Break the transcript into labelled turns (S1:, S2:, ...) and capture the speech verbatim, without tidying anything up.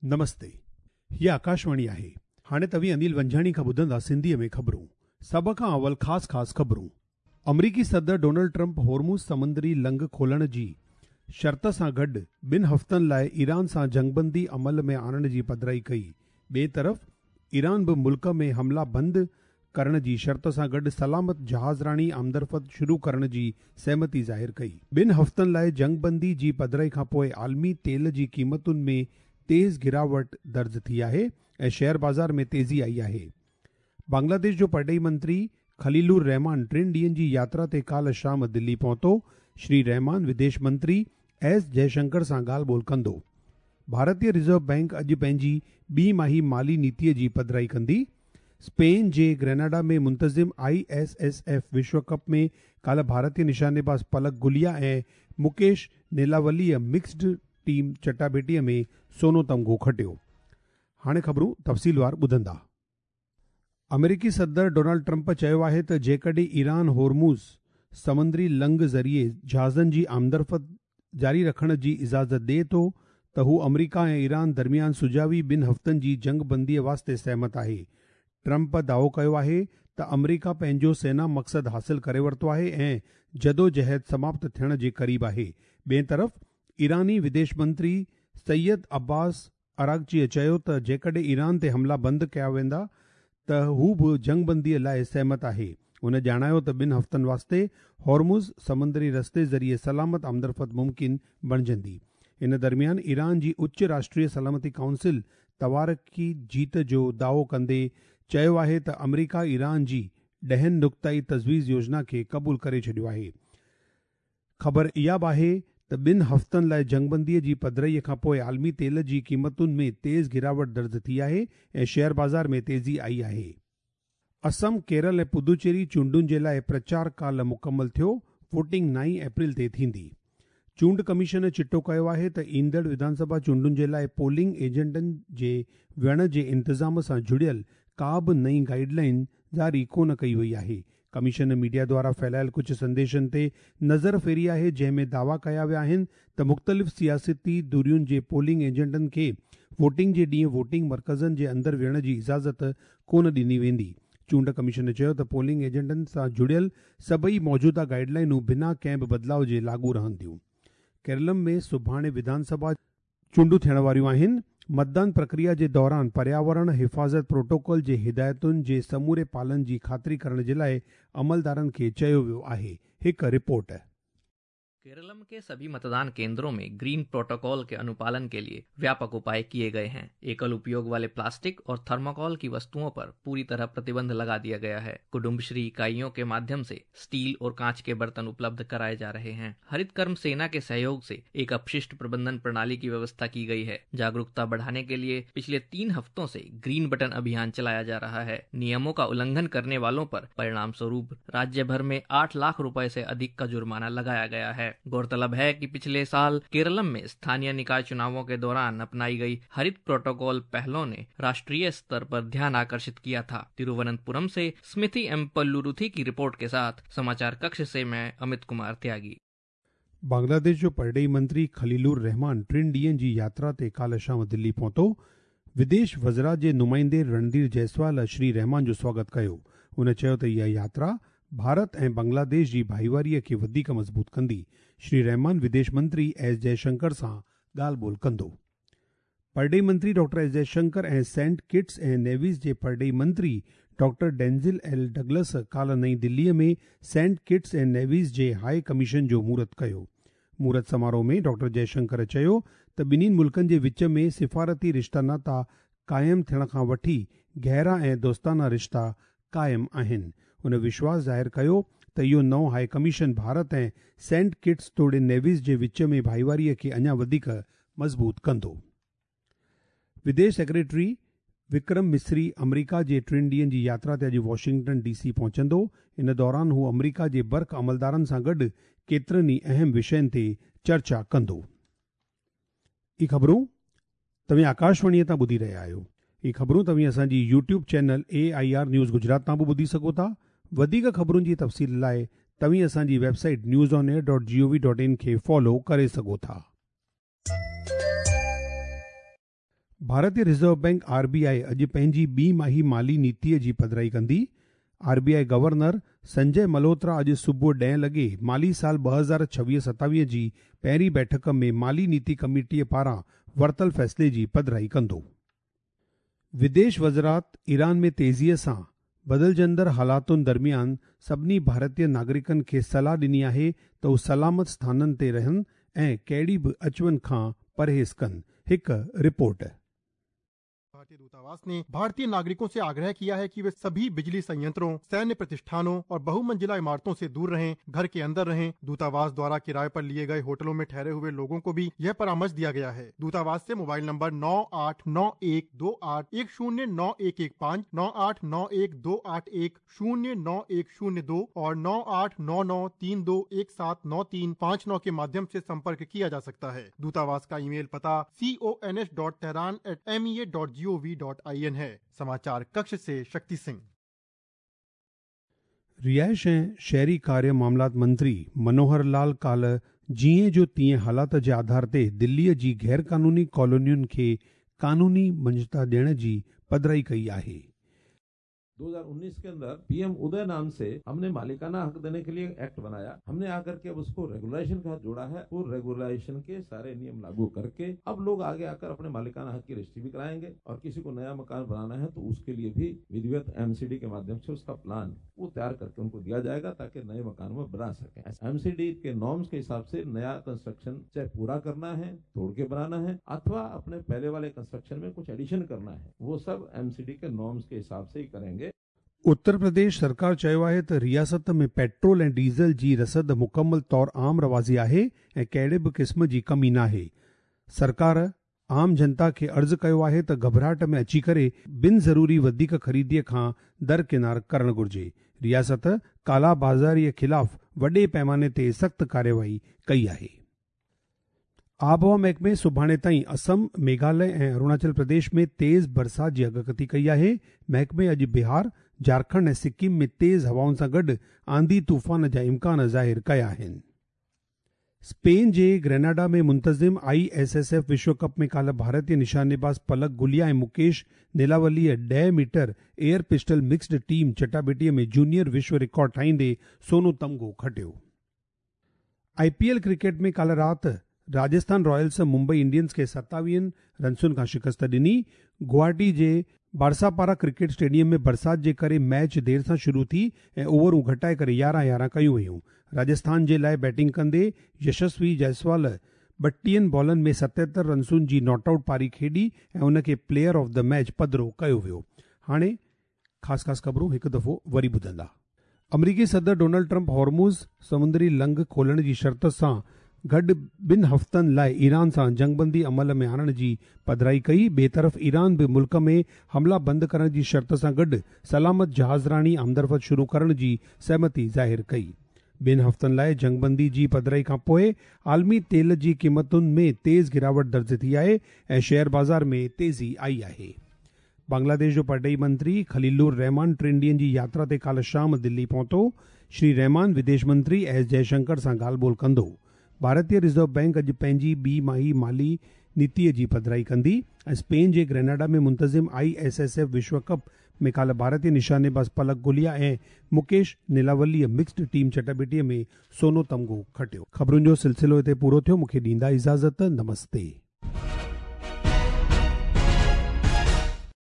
S1: नमस्ते, हीअ आकाशवाणी आहे। हाणे तव्हीं अनिल वंजाणी खां ॿुधंदा सिंधीअ में ख़बरूं। सभ खां अवल ख़ासि ख़ासि ख़बरूं। अमरीकी सदर डोनाल्ड ट्रंप होर्मुज़ समुंदरी लंघ खोलण जी शर्त सां गॾु ॿिनि हफ़्तनि लाइ ईरान सां जंगबंदी अमल में आणण जी पधराई कई। ॿिए तरफ़ ईरान बि मुल्क में हमला बंदि करण जी शर्त सां गॾु सलामत जहाज़रानी आमदरफ़्त शुरू करण जी सहमति ज़ाहिर कई। ॿिनि हफ़्तनि लाइ जंगबंदी जी पधराई खां पोइ आलमी तेल जी क़ीमतुनि में तेज़ गिरावट दर्ज थी आहे ऐं शेयर बाज़ार में तेज़ी आई आहे। बांग्लादेश जो परॾेही मंत्री खलीलुर रहमान टिनि ॾींहनि जी यात्रा ते काल्ह शाम दिल्ली पहुतो। श्री रहमान विदेश मंत्री एस जयशंकर सां ॻाल्हि ॿोल कंदो। भारतीय रिज़र्व बैंक अॼु पंहिंजी ॿी माही माली नीतीअ जी पधराई कंदी। स्पेन जे ग्रेनाडा में मुंतज़िम I S S F विश्व कप में काल्ह भारतीय निशानेबाज़ पलक गुलिया ऐं मुकेश नीलावलीअ मिक्स्ड टीम चटाभेटीअ में सोनो तमगो खटियो। हाणे ख़बरूं तफ़सीलवार ॿुधंदा। अमेरिकी सदर डोनाल्ड ट्रंप चयो आहे त जेकॾहिं ईरान होर्मुज़ समुंदरी लंघ ज़रिए जहाज़नि जी आमदरफ़्त जारी रखण जी इजाज़त ॾिए थो त हू अमेरिका ऐं ईरान दरमियान सुझावी ॿिनि हफ़्तनि जी जंगबंदीअ वास्ते सहमत आहे। ट्रंप दावो कयो आहे त अमेरिका पंहिंजो सेना मक़सदु हासिल करे वरितो आहे ऐं जदोजहद समाप्त थियण जे क़रीब आहे। ॿिए तरफ़ ईरानी विदेश मंत्री सैयद अब्बास अरागचीअ चयो त जेकॾहिं ईरान ते हमला बंदि कया वेंदा त हू बि जंगबंदीअ लाइ सहमत आहे। हुन ॼाणायो त ॿिनि हफ़्तनि वास्ते होर्मुज़ समुंदरी रस्ते ज़रिए सलामत आमदरफ़्त मुमकिन बणिजंदी। इन दरमियान ईरान जी उच्च राष्ट्रीय सलामती काउंसिल तवारकी जीत जो दावो कंदे चयो आहे त अमेरिका ईरान जी ॾहनि नुक़्ताई तजवीज़ योजना खे क़बूल करे छॾियो आहे। ख़बर इहा बि आहे त ॿिनि हफ़्तनि लाइ जंगबंदीअ जी पधराईअ खां पोइ आलमी तेल जी क़ीमतुनि में तेज़ गिरावट दर्ज थी आहे ऐं शेयर बाज़ार में तेज़ी आई आहे। असम, केरल ऐं पुदुचेरी चूंडुनि जे लाइ प्रचार काल्ह मुकमल थियो। वोटिंग नाई अप्रैल ते थींदी। चूंड कमीशन चिटो कयो आहे त ईंदड़ विधानसभा चूंडुनि जे लाइ पोलिंग एजेंटनि जे वियण जे इंतज़ाम सां जुड़ियल का बि नई गाइडलाइन जारी कोन कई वई आहे। कमीशन मीडिया द्वारा फैलायल कुझु संदेशनि ते नज़र फेरी आहे, जंहिं में दावा कया विया आहिनि त मुख़्तलिफ़ सियासती धुरियुनि जे पोलिंग एजेंटनि खे वोटिंग जे ॾींहुं वोटिंग मर्कज़नि जे अंदरि वियण जी इजाज़त कोन ॾिनी वेंदी। चूंड कमीशन चयो त पोलिंग एजेंटनि सां जुड़ियल सभई मौजूदा गाइडलाइनूं बिना कंहिं बि बदिलाव जे लागू रहंदियूं। केरलम में सुभाणे विधानसभा चूंडूं थियण वारियूं आहिनि। मतदान प्रक्रिया जे दौरान पर्यावरण हिफाज़त प्रोटोकॉल जे हिदायतुनि जे समूरे पालन जी ख़ातिरी करण जे लाइ अमलदारनि खे चयो वियो आहे। हिकु रिपोर्ट।
S2: केरलम के सभी मतदान केंद्रों में ग्रीन प्रोटोकॉल के अनुपालन के लिए व्यापक उपाय किए गए हैं। एकल उपयोग वाले प्लास्टिक और थर्मोकॉल की वस्तुओं पर पूरी तरह प्रतिबंध लगा दिया गया है। कुटुंबश्री इकाइयों के माध्यम से स्टील और कांच के बर्तन उपलब्ध कराए जा रहे हैं। हरित कर्म सेना के सहयोग से एक अपशिष्ट प्रबंधन प्रणाली की व्यवस्था की गई है। जागरूकता बढ़ाने के लिए पिछले तीन हफ्तों से ग्रीन बटन अभियान चलाया जा रहा है। नियमों का उल्लंघन करने वालों पर परिणाम स्वरूप राज्य भर में आठ लाख रुपए से अधिक का जुर्माना लगाया गया है। गौरतलब है कि पिछले साल केरलम में स्थानीय निकाय चुनावों के दौरान अपनाई गई हरित प्रोटोकॉल पहलों ने राष्ट्रीय स्तर पर ध्यान आकर्षित किया था। तिरुवनंतपुरम से स्मिति एम पल्लुरुथी की रिपोर्ट के साथ समाचार कक्ष से मैं अमित कुमार त्यागी।
S1: बांग्लादेश जो परॾेही मंत्री खलीलुर रहमान टिनि ॾींहनि जी यात्रा ते काल्ह शाम दिल्ली पहुतो। विदेश वज़रा जे नुमाइंदे रणधीर जायसवाल श्री रहमान जो स्वागत कयो। हुन चयो त इहा यात्रा भारत ऐं बांग्लादेश जी भाईवारीअ खे वधीक मज़बूत कंदी। श्री रहमान विदेश मंत्री एस जयशंकर सां ॻाल्हि ॿोल कंदो। परॾेही मंत्री डॉक्टर एस जयशंकर ऐं सेंट किट्स ऐं नेविस जे परॾेही मंत्री डॉक्टर डेंजिल एल डगलस काल्ह नई दिल्लीअ में सेंट किट्स ऐं नेविस जे हाई कमीशन जो मुहूर्त कयो। मुहूर्त समारोह में डॉक्टर जयशंकर चयो त ॿिन्हिनि मुल्कनि जे विच में सिफारती रिश्ता नाता क़ाइमु थियण खां वठी गहरा ऐं दोस्ताना रिश्ता क़ाइमु आहिनि। हुन विश्वास ज़ाहिर कयो त इहो नओं हाई कमीशन भारत ऐं सेंट किट्स तोड़े नेविस जे विच में भाईवारीअ खे अञा वधीक मज़बूत कंदो। विदेश सेक्रेटरी विक्रम मिस्री अमेरिका जे टिनि ॾींहनि जी यात्रा ते अॼु वॉशिंगटन डी सी पहुचंदो। इन दौरान हू अमेरिका जे बर्क अमलदारनि सां गॾु केतिरनि ई अहम विषयनि ते चर्चा कंदो। इहे ख़बरूं तव्हीं आकाशवाणीअ तां ॿुधी रहिया आहियो। इहे ख़बरूं तव्हीं असांजी YouTube channel A I R news Gujarat तां बि ॿुधी सघो था। वधीक ख़बरुनि जी तफ़सील लाइ तव्हीं असांजी website news on air dot G O V dot in खे फॉलो करे सघो था। भारतीय reserve bank R B I अॼु पंहिंजी ॿी माही माली नीतीअ जी पधराई कंदी। R B I governor Sanjay Malhotra अॼु सुबुह ॾहें लॻे माली साल ॿ हज़ार छवीह सतावीह जी पहिरीं बैठक में माली नीति कमेटीअ पारां वरितल फ़ैसिले जी पधराई कंदो। विदेश वज़ारत ईरान में तेज़ीअ सां बदिलजंदड़ हालातुनि दरमियान सभिनी भारतीय नागरिकनि खे सलाह ॾिनी आहे त हू सलामत स्थाननि ते रहनि ऐं कहिड़ी बि अचवञ खां परहेज़ कनि। हिकु रिपोर्ट।
S3: भारतीय दूतावास ने भारतीय नागरिकों से आग्रह किया है कि वे सभी बिजली संयंत्रों, सैन्य प्रतिष्ठानों और बहुमंजिला इमारतों से दूर रहें, घर के अंदर रहें। दूतावास द्वारा किराए पर लिए गए होटलों में ठहरे हुए लोगों को भी यह परामर्श दिया गया है। दूतावास से मोबाइल नंबर नौ आठ नौ एक दो आठ एक शून्य नौ एक एक पाँच, नौ आठ नौ एक दो आठ एक शून्य नौ एक शून्य दो और नौ आठ नौ नौ तीन दो एक सात नौ तीन पाँच नौ के माध्यम से संपर्क किया जा सकता है। दूतावास का ईमेल पता C O N S dot Tehran at M E A dot G O V dot I N है। समाचार कक्ष से शक्ति सिंह।
S1: रिहाइश ऐं शहरी कार्य मामलात मंत्री मनोहर लाल काल्ह जीअं जो तीअं हालात जे आधार ते दिल्लीअ जी गैर कानूनी कॉलोनियुनि खे कानूनी मंझता ॾियण जी पधराई कई आहे।
S4: दो हज़ार उन्नीस के अंदर पीएम उदय नाम से हमने मालिकाना हक देने के लिए एक्ट बनाया। हमने आकर के अब उसको रेगुलेशन का जोड़ा है। वो रेगुलेशन के सारे नियम लागू करके अब लोग आगे आकर अपने मालिकाना हक की रजिस्ट्री भी कराएंगे और किसी को नया मकान बनाना है तो उसके लिए भी विधिवत एमसीडी के माध्यम से उसका प्लान वो तैयार करके उनको दिया जाएगा ताकि नए मकान में बना सके। एमसीडी के नॉर्म्स के हिसाब से नया कंस्ट्रक्शन चाहे पूरा करना है, तोड़ के बनाना है अथवा अपने पहले वाले कंस्ट्रक्शन में कुछ एडिशन करना है, वो सब एमसीडी के नॉर्म्स के हिसाब से ही करेंगे।
S1: उत्तर प्रदेश सरकार चयो आहे त रियासत में पेट्रोल ऐं डीज़ल जी रसद मुकमल तौर आम रवाज़ी आहे ऐं कहिड़े बि क़िस्म जी कमी नाहे। सरकार आम जनता खे अर्ज़ कयो आहे त घबराहट में अची करे बिन ज़रूरी वधीक ख़रीदीअ खां दरकिनार करणु घुरिजे। रियासत काला बाज़ारीअ ख़िलाफ़ वॾे पैमाने ते सख़्तु कार्यवाही कई आहे। आबहवा महकमे सुभाणे ताईं असम, मेघालय ऐं अरुणाचल प्रदेश में तेज़ बरसात जी अगकथी कई आहे। महकमे अॼु बिहार, झारखंड ऐं सिक्किम में तेज़ हवाउनि सां गॾु आंधी तूफ़ान जा इम्कान ज़ाहिर कया आहिनि। स्पेन जे ग्रेनाडा में मुंतज़िम I S S F विश्व कप में काल्ह भारतीय निशानेबाज़ पलक गुलिया ऐं मुकेश नीलावलीअ ॾह metre air pistol mixed team चटाबेटीअ में जूनियर विश्व रिकॉर्ड ठाहींदे सोनो तमगो खटियो। I P L cricket में काल्ह राति राजस्थान रॉयल्स मुंबई इंडियंस खे सतावीहनि रनसुनि खां शिकस्त ॾिनी। गुवाहाटी जे बारसापारा क्रिकेट स्टेडियम में बरसात जे करे मैच देरि सां शुरू थी ऐं ओवरूं घटाए करे यारहं यारहं कयूं वयूं। राजस्थान जे लाइ बैटिंग कंदे यशस्वी जायसवाल ॿटीहनि बॉलनि में सतहतरि रनसुनि जी not out पारी खेॾी ऐं उनखे प्लेयर ऑफ the match पधिरो कयो वियो। हाणे ख़ासि ख़ासि ख़बरूं हिकु दफ़ो वरी ॿुधंदा। अमरीकी सदर डोनाल्ड ट्रंप हॉर्मुज़ समुंदरी लंघ खोलण जी शर्त सां गॾु ॿिनि हफ़्तनि लाइ ईरान सां जंगबंदी अमल में आणण जी पधराई कई। ॿिए तरफ़ ईरान बि मुल्क में हमला बंदि करण जी शर्त सां गॾु सलामत जहाज़रानी आमदरफ़्त शुरू करण जी सहमति ज़ाहिर कई। ॿिनि हफ़्तनि लाइ जंगबंदी जी पधराई खां पोइ आलमी तेल जी क़ीमतुनि में तेज़ गिरावट दर्ज थी आहे ऐं शेयर बाज़ार में तेज़ी आई आहे। बांग्लादेश जो परॾेही मंत्री खलीलुर रहमान टिनि ॾींहनि जी यात्रा ते काल्ह शाम दिल्ली पहुतो। श्री रहमान विदेश मंत्री एस जयशंकर सां ॻाल्हि ॿोल कंदो। भारतीय रिज़र्व बैंक अॼु पंहिंजी ॿी माही माली नीतीअ जी पधराई कंदी ऐं स्पेन जे ग्रेनाडा में मुंतज़िम I S S F विश्व कप में काल्ह भारतीय निशानेबाज़ पलक गुलिया ऐं मुकेश नीलावलीअ मिक्स्ड टीम चटाबेटीअ में सोनो तमगो खटियो। ख़बरुनि जो सिलसिलो हिते पूरो थियो। मूंखे ॾींदा इजाज़त। नमस्ते।